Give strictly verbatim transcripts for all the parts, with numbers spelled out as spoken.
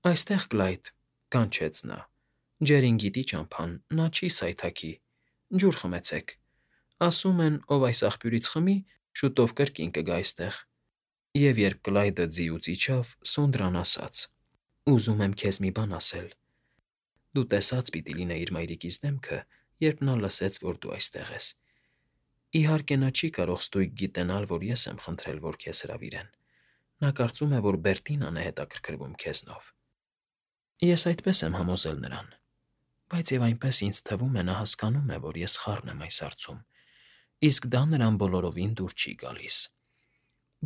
Այստեղ, Կլայդ,֊ կանչեց նա։ Ջերին գիտի ճամփան, նա չի սայթաքի։ Ջուր խմեցեք։ Ասում են, ով այս աղբյուրից խմի, շուտով կրկին կգա այստեղ։ Եվ երբ Կլայդը ձիուց իջավ, Սոնդրան ասաց. «Ուզում եմ քեզ մի բան ասել։ Դու տեսած պիտի լինեիր մայրիկիս դեմքը, երբ նա լսեց, որ դու այստեղ ես։ Իհարկե, նա չի կարող ստույգ գիտենալ, որ ես եմ խնդրել, որ քեզ հրավիրեն։ Նա կարծում է, որ Բերտինան է հետաքրքրվում քեզնով։ Ես այդպես եմ համոզել նրան։ Բայց և այնպես ինձ թվում է, նա հասկանում է, որ ես խառն եմ այս հարցում, իսկ դա նրան բոլորովին դուր չի գալիս։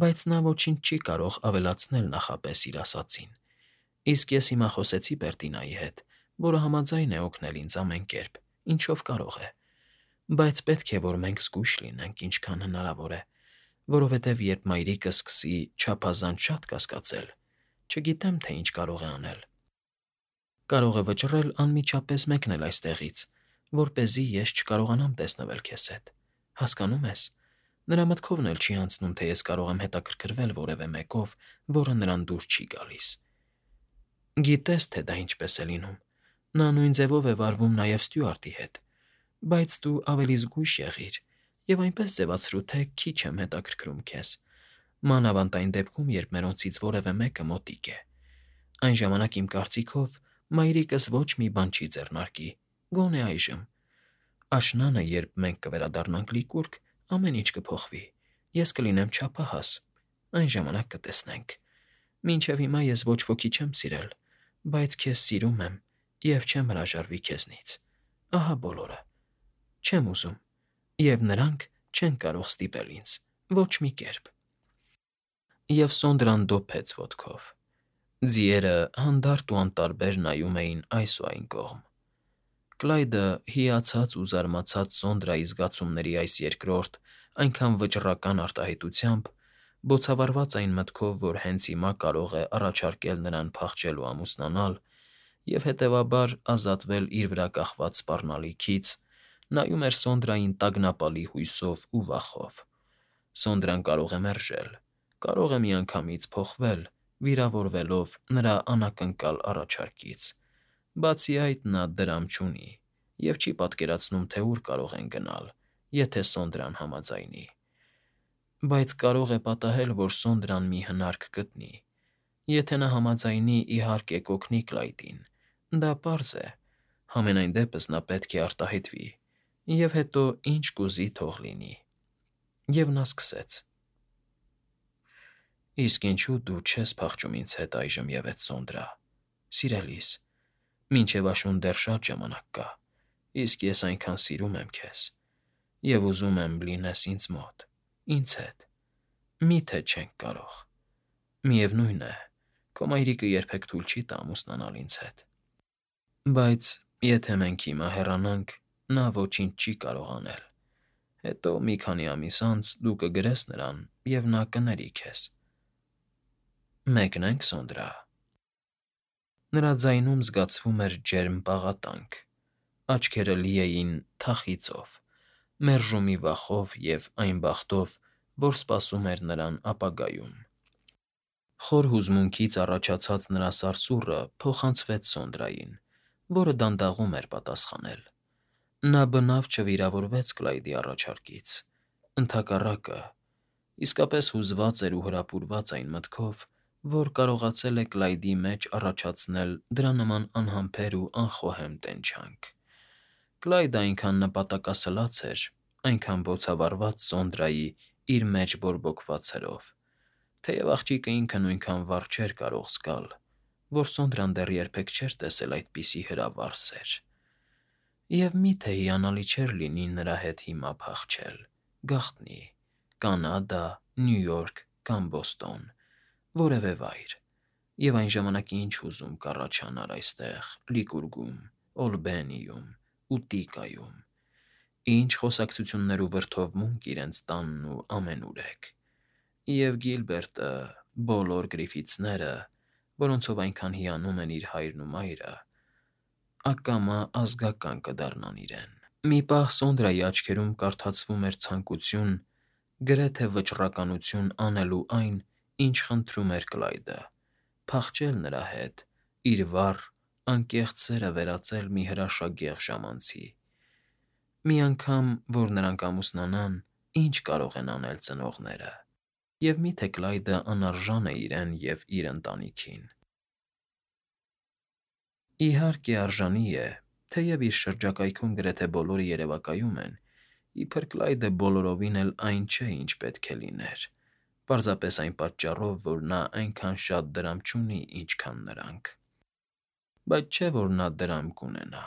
Բայց նա ոչինչ չի կարող ավելացնել նախապես իր ասածին, իսկ ես հիմա խոսեցի Բերտինայի հետ, որը համաձայն է օգնել ինձ ամեն կերպ, ինչով կարող է։ Բայց պետք է, որ մենք զգույշ լինենք, ինչքան հնարավոր է, որովհետև երբ մայրիկը սկսի չափազանց շատ կասկածել, չգիտեմ, թե ինչ կարող է անել։ Կարող է վճռել անմիջապես մեկնել այստեղից, որպեսզի ես չկարողանամ տեսնվել քեզ հետ, հասկանո՞ւմ ես։ Նրա մտքովն էլ չի անցնում, թե ես կարող եմ հետաքրքրվել որևէ մեկով, որը նրան դուր չի գալիս։ Գիտես, թե դա ինչպես է լինում։ Նա նույն ձևով է վարվում նաև Ստյուարտի հետ։ Բայց դու ավելի զգույշ եղիր և այնպես ձևացրու, թե քիչ եմ հետաքրքրում քեզ, մանավանդ այն դեպքում, երբ մերոնցից որևէ մեկը մոտիկ է։ Այն ժամանակ, իմ կարծիքով, մայրիկս ոչ մի բան չի ձեռնարկի, գոնե այժմ։ Աշնանը, երբ մենք կվերադառնանք Լիկուրգ, ամեն ինչ կփոխվի, ես կլինեմ չափահաս, այն ժամանակ կտեսնենք։ Մինչև հիմա ես ոչ ոքի չեմ սիրել, բայց քեզ սիրում եմ և չեմ հրաժարվի քեզնից։ Ահա բոլորը։ Չեմ ուզում, և նրանք չեն կարող ստիպել ինձ, ոչ մի կերպ»։ Եվ Սոնդրան դոփեց ոտքով։ Ձիերը հանդարտ ու անտարբեր նայում էին այս ու այն կողմ։ Կլայդը, հիացած ու զարմացած Սոնդրայի զգացումների այս երկրորդ, այնքան վճռական արտահայտությամբ, բոցավառված այն մտքով, որ հենց հիմա կարող է առաջարկել նրան փախչել ու ամուսնանալ, և, հետևաբար, ազատվել իր վրա կախված սպառնալիքից, նայում էր Սոնդրային տագնապալի հույսով ու վախով։ Սոնդրան կարող է մերժել, կարող է միանգամից փոխվել, վիրավորվելով նրա անակնկալ առաջարկից։ Բացի այդ, նա դրամ չունի և չի պատկերացնում, թե ուր կարող են գնալ, եթե Սոնդրան համաձայնի։ Բայց կարող է պատահել, որ Սոնդրան մի հնարք գտնի։ Եթե նա համաձայնի, իհարկե, կօգնի Կլայդին, դա պարզ է, համենայն դեպս նա պետք է արտահայտվի, և հետո ինչ կուզի թող լինի։ Եվ նա սկսեց. «Իսկ ինչու դու չես փախչում ինձ հետ այժմ ևեթ, Սոնդրա… Սիրելիս, մինչև աշուն դեռ շատ ժամանակ կա, իսկ ես այնքան սիրում եմ քեզ, և ուզում եմ լինես ինձ մոտ, ինձ հետ… Մի՞թե չենք կարող… Միևնույն է, քո մայրիկը երբեք թույլ չի տա ամուսնանալ ինձ հետ… Բայց եթե մենք հիմա հեռանանք, նա ոչինչ չի կարող անել… Հետո մի քանի ամիս անց դու կգրես նրան, և նա կների քեզ… Մեկնե՞նք, Սոնդրա»։ Նրա ձայնում զգացվում էր ջերմ պաղատանք, աչքերը լի էին թախիծով, մերժումի վախով և այն բախտով, որ սպասում էր նրան ապագայում։ Խոր հուզմունքից առաջացած նրա սարսուռը փոխանցվեց Սոնդրային, որը դանդաղում էր պատասխանել։ Նա բնավ չվիրավորվեց Կլայդի առաջարկից, ընդհակառակը, իսկապես հուզված էր ու հրապուրված այն մտքով, որ կարողացել է Կլայդի մեջ առաջացնել դրա նման անհամբեր ու անխոհեմ տենչանք։ Կլայդը այնքան նպատակասլաց էր, այնքան բոցավառված Սոնդրայի իր մեջ բորբոքված հրով, թեև աղջիկը ինքը նույնքան վառ չէր կարող զգալ, որ Սոնդրան դեռ երբեք չէր տեսել այդպիսի հրավառ սեր։ Եվ մի՞թե հիանալի չէր լինի նրա հետ հիմա փախչել, գաղտնի, Կանադա, Նյու Յորք կամ Բոստոն, որևէ վայր, և այն ժամանակի ինչ հուզում կառաջանար այստեղ, Լիկուրգում, Օլբենիում, Ուտիկայում… Ինչ խոսակցություններ ու վրդովմունք իրենց տանն ու ամենուրեք… Եվ Գիլբերտը, բոլոր Գրիֆիթսները, որոնցով այնքան հիանում են իր հայրն ու մայրը, ակամա ազգական կդառնան իրեն… Մի պահ Սոնդրայի աչքերում կարդացվում էր ցանկություն, գրեթե վճռականություն անելու այն, ինչ խնդրում էր Կլայդը՝ փախչել նրա հետ, իր վառ, անկեղծ սերը վերածել մի հրաշագեղ ժամանցի։ Մի անգամ, որ նրանք ամուսնանան, ի՞նչ կարող են անել ծնողները, և մի՞թե Կլայդը անարժան է իրեն և իր ընտանիքին։ Իհարկե, արժանի է, թեև իր շրջակայքում գրեթե բոլորը երևակայում են, իբր Կլայդը բոլորովին էլ այն չէ, ինչ պետք է լիներ, պարզապես այն պատճառով, որ նա այնքան շատ դրամ չունի, ինչքան նրանք։ Բայց չէ՞ որ նա դրամ կունենա,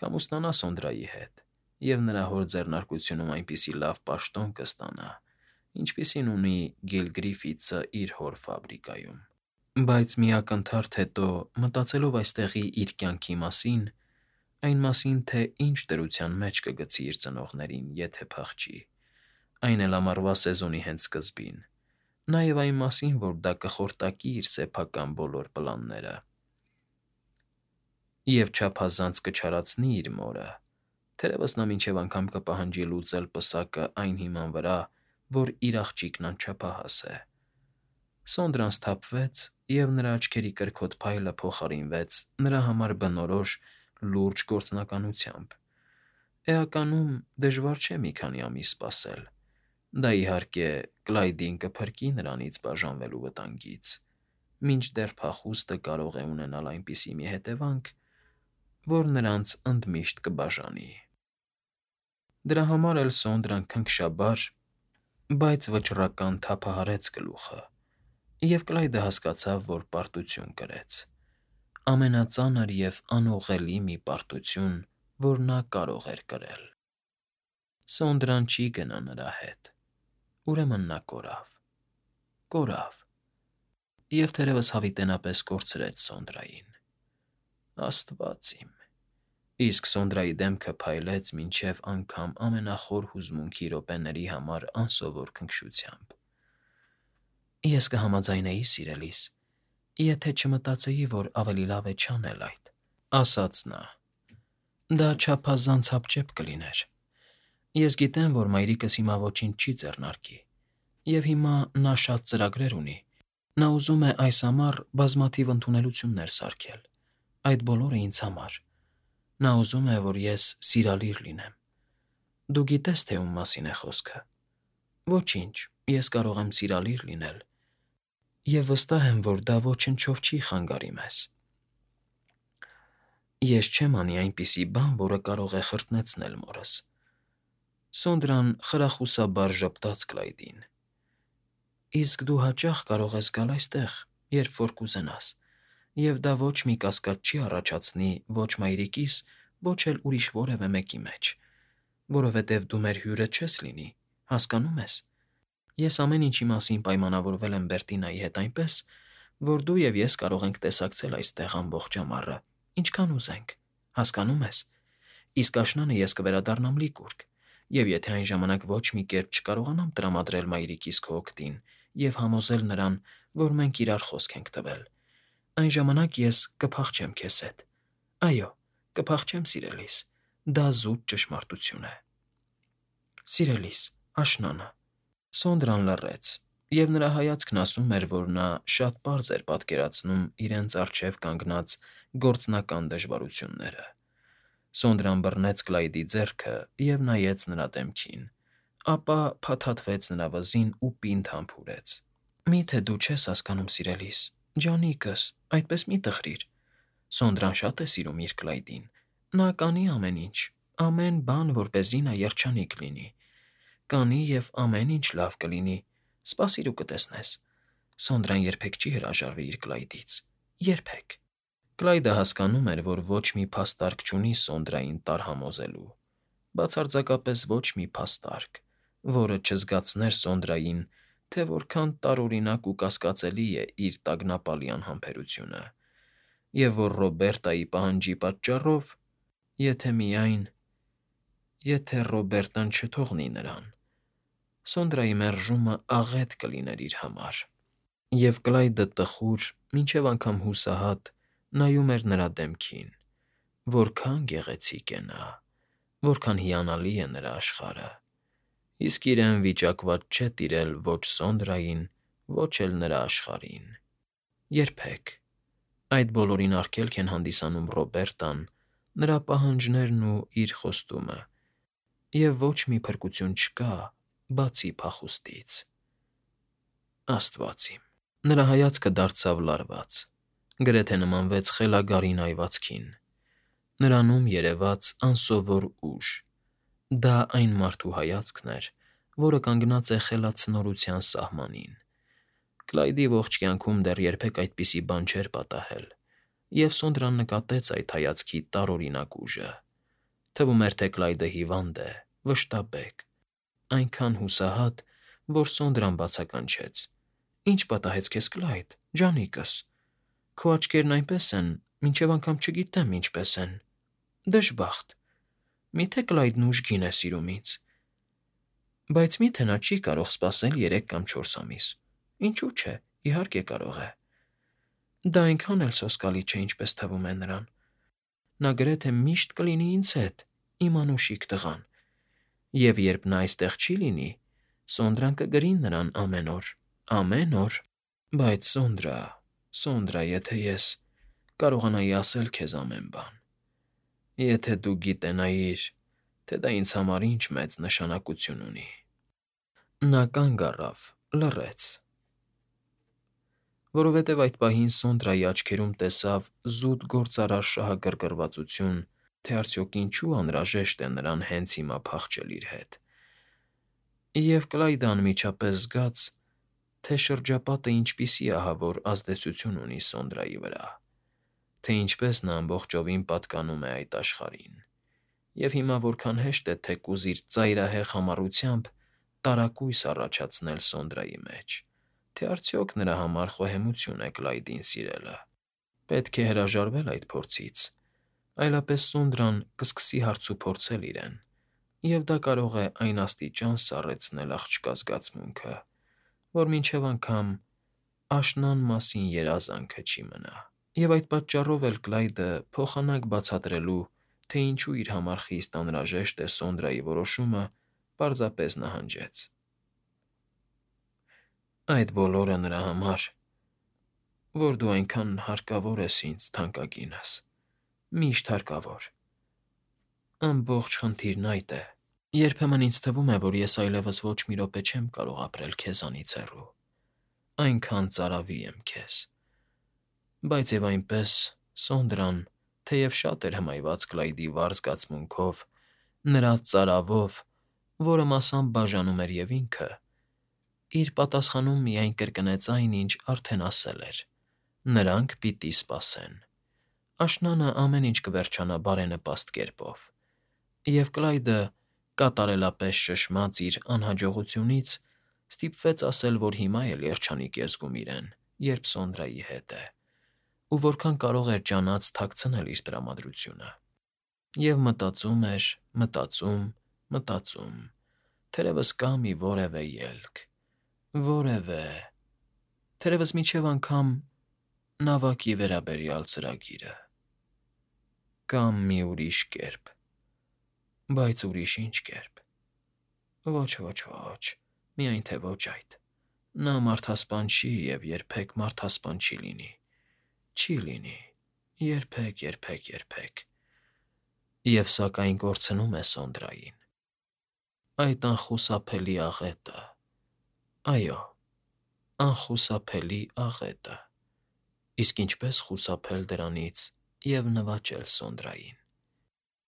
կամուսնանա Սոնդրայի հետ, և նրա հոր ձեռնարկությունում այնպիսի լավ պաշտոն կստանա, ինչպիսին ունի Գիլ Գրիֆիթսը իր հոր ֆաբրիկայում։ Բայց մի ակնթարթ հետո, մտածելով այստեղի իր կյանքի մասին, այն մասին, թե ինչ դրության մեջ կգցի իր ծնողներին, եթե փախչի, այն էլ ամառվա սեզոնի հենց սկզբին, նաև այն մասին, որ դա կխորտակի իր սեփական բոլոր պլանները և չափազանց կչարացնի իր մորը, թերևս նա մինչև անգամ կպահանջի լուծել պսակը այն հիման վրա, որ իր աղջիկն անչափահաս է։ Սոնդրան սթափվեց, և նրա աչքերի կրքոտ փայլը փոխարինվեց նրա համար բնորոշ, լուրջ գործնականությամբ։ Էականում, դժվար չէ մի քանի ամիս սպասել։ Դա, իհարկե, Կլայդին կփրկի նրանից բաժանվելու վտանգից, մինչդեռ փախուստը կարող է ունենալ այնպիսի մի հետևանք, որ նրանց ընդմիշտ կբաժանի։ Դրա համար էլ Սոնդրան քնքշաբար, բայց վճռական թափահարեց գլուխը, և Կլայդը հասկացավ, որ պարտություն կրեց, ամենածանր և անուղղելի մի պարտություն, որ նա կարող էր կրել։ Սոնդրան չի գնա նրա հետ, ուրեմն նա կորավ, կորավ, և թերևս հավիտենապես կորցրեց Սոնդրային։ Աստվա՜ծ իմ… Իսկ Սոնդրայի դեմքը փայլեց մինչև անգամ ամենախոր հուզմունքի րոպեների համար անսովոր քնքշությամբ։ Ես կհամաձայնեի, սիրելիս, եթե չմտածեի, որ ավելի լավ է չանել այդ,֊ ասաց նա։ Դա չափազանց հապճեպ կլիներ։ Ես գիտեմ, որ մայրիկս հիմա ոչինչ չի ձեռնարկի, և հիմա նա շատ ծրագրեր ունի, նա ուզում է այս ամառ բազմաթիվ ընդունելություններ սարքել, այդ բոլորը ինձ համար։ Նա ուզում է, որ ես սիրալիր լինեմ։ Դու գիտես, թե ում մասին է խոսքը։ Ոչինչ, ես կարող եմ սիրալիր լինել, և վստահ եմ, որ դա ոչնչով չի խանգարի մեզ։ Ես չեմ անի այնպիսի բան, որը կարող է խրտնեցնել մորս։ Սոնդրան խրախուսաբար ժպտաց Կլայդին։ Իսկ դու հաճախ կարող ես գալ այստեղ, երբ որ կուզենաս, և դա ոչ մի կասկած չի առաջացնի ո՛չ մայրիկիս, ո՛չ էլ ուրիշ որևէ մեկի մեջ, որովհետև դու մեր հյուրը չես լինի, հասկանո՞ւմ ես։ Ես ամեն ինչի մասին պայմանավորվել եմ Բերտինայի հետ այնպես, որ դու և ես կարող ենք տեսակցել այստեղ ամբողջ ամառը, ինչքան ուզենք, հասկանո՞ւմ ես։ Իսկ աշնանը ես կվերադառնամ Լիկուրգ, և եթե այն ժամանակ ոչ մի կերպ չկարողանամ տրամադրել մայրիկիս քո օգտին և համոզել նրան, որ մենք իրար խոսք ենք տվել, այն ժամանակ ես կփախչեմ քեզ հետ։ Այո, կփախչեմ, սիրելիս, դա զուտ ճշմարտություն է։ Սիրելիս, աշնանը… Սոնդրան լռեց, և նրա հայացքն ասում էր, որ նա շատ պարզ էր պատկերացնում իրենց առջև կանգնած գործնական դժվարությունները։ Սոնդրան բռնեց Կլայդի ձեռքը և նայեց նրա դեմքին, ապա փաթաթվեց նրա վզին ու պինդ համբուրեց։ Մի՞թե դու չես հասկանում, սիրելիս, ջանիկս, այդպես մի՛ տխրիր։ Սոնդրան շատ է սիրում իր Կլայդին, նա կանի ամեն ինչ, ամեն բան, որպեսզի նա երջանիկ լինի։ Կանի և ամեն ինչ լավ կլինի, սպասիր ու կտեսնես։ Սոնդրան երբեք չի հրաժարվի իր Կլայդից, երբեք։ Կլայդը հասկանում էր, որ ոչ մի փաստարկ չունի Սոնդրային տարհամոզելու, բացարձակապես ոչ մի փաստարկ, որը չզգացներ Սոնդրային, թե որքան տարօրինակ ու կասկածելի է իր տագնապալի անհամբերությունը, և որ Ռոբերտայի պահանջի պատճառով… Եթե միայն… Եթե Ռոբերտն չթողնի նրան… Սոնդրայի մերժումը աղետ կլիներ իր համար։ Եվ Կլայդը տխուր, մինչև անգամ հուսահատ նայում էր նրա դեմքին… Որքա՜ն գեղեցիկ է նա, որքան հիանալի է նրա աշխարհը, իսկ իրեն վիճակված չէ տիրել ո՛չ Սոնդրային, ո՛չ էլ նրա աշխարհին… Երբեք… Այդ բոլորին արգելք են հանդիսանում Ռոբերտան, նրա պահանջներն ու իր խոստումը, և ոչ մի փրկություն չկա, բացի փախուստից։ Աստված իմ… Նրա հայացքը դարձավ լարված, գրեթե նմանվեց խելագարին այվածքին։ Նրանում երևաց անսովոր ուժ։ Դա այն մարդու հայացքն էր, որը կանգնած է խելացնորության սահմանին։ Կլայդի ողջ կյանքում դեռ երբեք այդպիսի բան չէր պատահել, և Սոնդրան նկատեց այդ հայացքի տարօրինակ ուժը։ Թվում էր, թե Կլայդը հիվանդ է, վշտաբեկ, այնքան հուսահատ, որ Սոնդրան բացականչեց. «Ի՞նչ պատահեց քեզ, Կլայդ, ջանիկս… Քո աչքերն այնպես են, մինչև անգամ չգիտեմ ինչպես են… Դժբախտ… Մի՞թե Կլայդն ուժգին է սիրում ինձ… Բայց մի՞թե նա չի կարող սպասել երեք կամ չորս ամիս… Ինչու՞ չէ, իհարկե կարող է… Դա այնքան էլ սոսկալի չէ, ինչպես թվում է նրան… Նա գրեթե միշտ կլինի ինձ հետ, իմ անուշիկ տղան… Եվ երբ նա այստեղ չի լինի, Սոնդրան կգրի նրան ամեն օր… Ամեն օր… Բայց, Սոնդրա… Սոնդրա… Եթե ես… կարողանայի ասել քեզ ամեն բան… Եթե դու գիտենայիր, թե դա ինձ համար ինչ մեծ նշանակություն ունի…»։ Նա կանգ առավ, լռեց… Որովհետև այդ պահին Սոնդրայի աչքերում տեսավ զուտ գործարար շահագրգռվածություն, թե արդյոք ինչու անհրաժեշտ է նրան հենց հիմա փախչել իր հետ… Եվ Կլայդը անմիջապես զգաց, թե շրջապատը ինչպիսի ահավոր ազդեցություն ունի Սոնդրայի վրա, թե ինչպես նա ամբողջովին պատկանում է այդ աշխարհին, և հիմա որքան հեշտ է թեկուզ իր ծայրահեղ համառությամբ տարակույս առաջացնել Սոնդրայի մեջ… Թե արդյոք նրա համար խոհեմություն է Կլայդին սիրելը… Պետք է հրաժարվել այդ փորձից, այլապես Սոնդրան կսկսի հարցուփորձել իրեն, և դա կարող է այն աստիճան սառեցնել աղջկա զգացմունքը, որ մինչև անգամ աշնան մասին երազանքը չի մնա… Եվ այդ պատճառով էլ Կլայդը, փոխանակ բացատրելու, թե ինչու իր համար խիստ անհրաժեշտ է Սոնդրայի որոշումը, պարզապես նահանջեց. «Այդ բոլորը նրա համար, որ դու այնքան հարկավոր ես ինձ, թանկագինս, միշտ հարկավոր… Ամբողջ խնդիրն այդ է… Երբեմն ինձ թվում է, որ ես այլևս ոչ մի րոպե չեմ կարող ապրել քեզանից հեռու… Այնքան ծարավի եմ քեզ… Բայց և այնպես, Սոնդրան, թեև շատ էր հմայված Կլայդի վառ զգացմունքով, նրա ծարավով, որը մասամբ բաժանում էր և ինքը, իր պատասխանում միայն կրկնեց այն, ինչ արդեն ասել էր. նրանք պիտի սպասեն… Աշնանը ամեն ինչ կվերջանա բարենպաստ կերպով… Եվ Կլայդը, կատարելապես շշմած իր անհաջողությունից, ստիպվեց ասել, որ հիմա էլ երջանիկ է զգում իրեն, երբ Սոնդրայի հետ է, ու որքան կարող էր ջանած թաքցնել իր տրամադրությունը… Եվ մտածում էր, մտածում, մտածում… Թերևս կա մի որևէ ելք… Որևէ… Թերևս մինչև անգամ նավակի վերաբերյալ ծրագիրը… Կամ մի ուրիշ կերպ… Բայց ուրիշ ի՞նչ կերպ… Ոչ, ոչ, ոչ… Միայն թե ոչ այդ… Նա մարդասպան չի և երբեք մարդասպան չի լինի… Չի լինի… Երբեք, երբեք, երբեք… Եվ սակայն կորցնում է Սոնդրային… Այդ անխուսափելի աղետը… Այո, անխուսափելի աղետը… Իսկ ինչպե՞ս խուսափել դրանից և նվաճել Սոնդրային…